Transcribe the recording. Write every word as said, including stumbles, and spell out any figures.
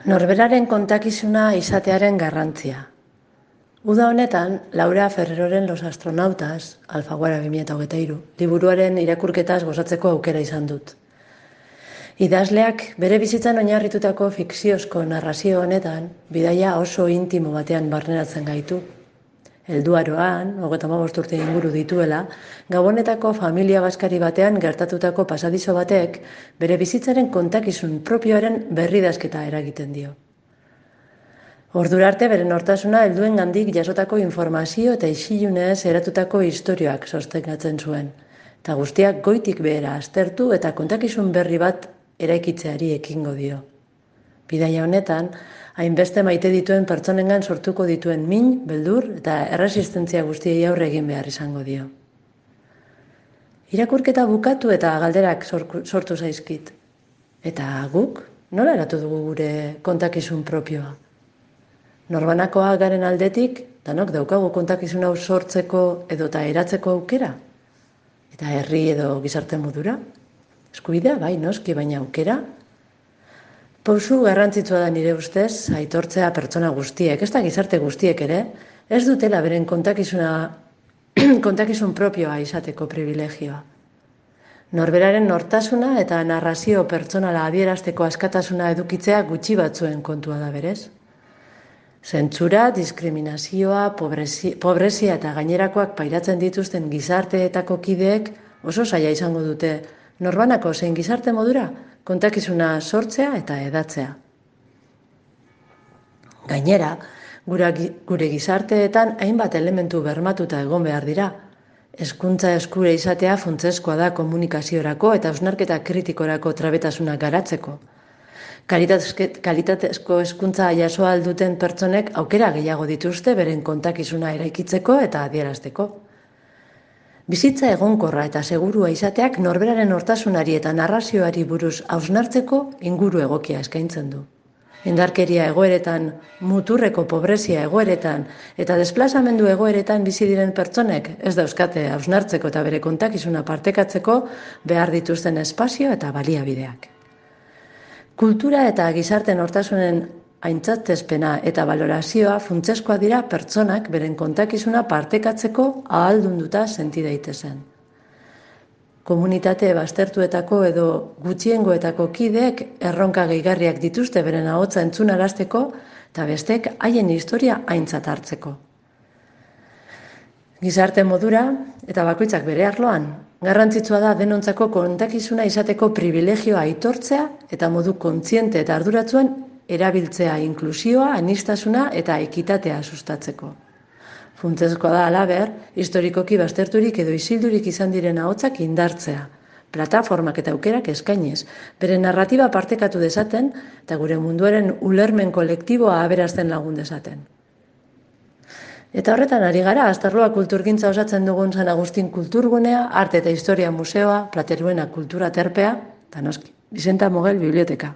Norberaren kontakizuna izatearen garrantzia. Uda honetan, Laura Ferreroren Los Astronautas, Alfaguara bi mila hogeita hiru, liburuaren irakurketaz gozatzeko aukera izan dut. Idazleak bere bizitzan oinarritutako fikziozko narrazio honetan, bidaia oso intimo batean barneratzen gaitu. Helduaroan, hogeita hamabost urte inguru dituela, Gabonetako familia baskari batean gertatutako pasadizo batek bere bizitzaren kontakizun propioaren berridazketa eragiten dio. Ordura arte bere nortasuna helduengandik jasotako informazio eta isilunez eratutako istorioak sostengatzen zuen, eta guztiak goitik behera aztertu eta kontakizun berri bat eraikitzeari ekingo dio. Bidaia honetan, hainbeste maite dituen pertsonengan sortuko dituen min, beldur eta erresistentzia guztiei aurre egin behar izango dio. Irakurketa bukatu eta galderak sortu zaizkit. Eta guk, nola eratu dugu gure kontakizun propioa? Norbanakoa garen aldetik, danok daukagu kontakizun hau sortzeko edota eratzeko aukera? Eta herri edo gizarte modura? Eskubidea bai, noski, baina aukera? Pausu garrantzitsua da nire ustez, aitortzea pertsona guztiek, ez da gizarte guztiek ere, ez dutela beren kontakizuna, kontakizun propioa izateko privilegioa. Norberaren nortasuna eta narrazio pertsonala adierazteko askatasuna edukitzea gutxi batzuen kontua da berez. Zentsura, diskriminazioa, pobrezia, pobrezia eta gainerakoak pairatzen dituzten gizarteetako kideek oso zaila izango dute norbanako zein gizarte modura kontakizuna sortzea eta edatzea. Gainera, gure gizarteetan hainbat elementu bermatuta egon behar dira. Hezkuntza eskure izatea funtsezkoa da komunikaziorako eta hausnarketa kritikorako trabetasuna garatzeko. Kalitatezko hezkuntza jaso ahal duten pertsonek aukera gehiago dituzte beren kontakizuna eraikitzeko eta adierazteko. Bizitza egonkorra eta segurua izateak norberaren nortasunari eta narrazioari buruz hausnartzeko inguru egokia eskaintzen du. Indarkeria egoeretan, muturreko pobrezia egoeretan eta desplazamendu egoeretan bizi diren pertsonek ez dauzkate hausnartzeko eta bere kontakizuna partekatzeko behar dituzten espazio eta baliabideak. Kultura eta gizarte nortasunen aintzatespena eta balorazioa funtsezkoa dira pertsonak beren kontakizuna partekatzeko ahaldunduta senti daitezen. Komunitate baztertuetako edo gutxiengoetako kideek erronka gehigarriak dituzte beren ahotsa entzunarazteko eta bestek haien historia aintzat hartzeko. Gizarte modura eta bakoitzak bere arloan, garrantzitsua da denontzako kontakizuna izateko privilegioa aitortzea eta modu kontziente eta arduratsuan erabiltzea inklusioa, aniztasuna eta ekitatea sustatzeko. Funtsezkoa da halaber, historikoki bazterturik edo isildurik izan diren ahotsak indartzea, plataformak eta aukerak eskainez, bere narratiba partekatu dezaten eta gure munduaren ulermen kolektiboa aberazten lagun dezaten. Eta horretan ari gara, Astarloa kulturgintza osatzen dugun San Agustin kulturgunea, arte eta historia museoa, Plateruena kultura terpea, eta noski, Bizenta Mogel biblioteka.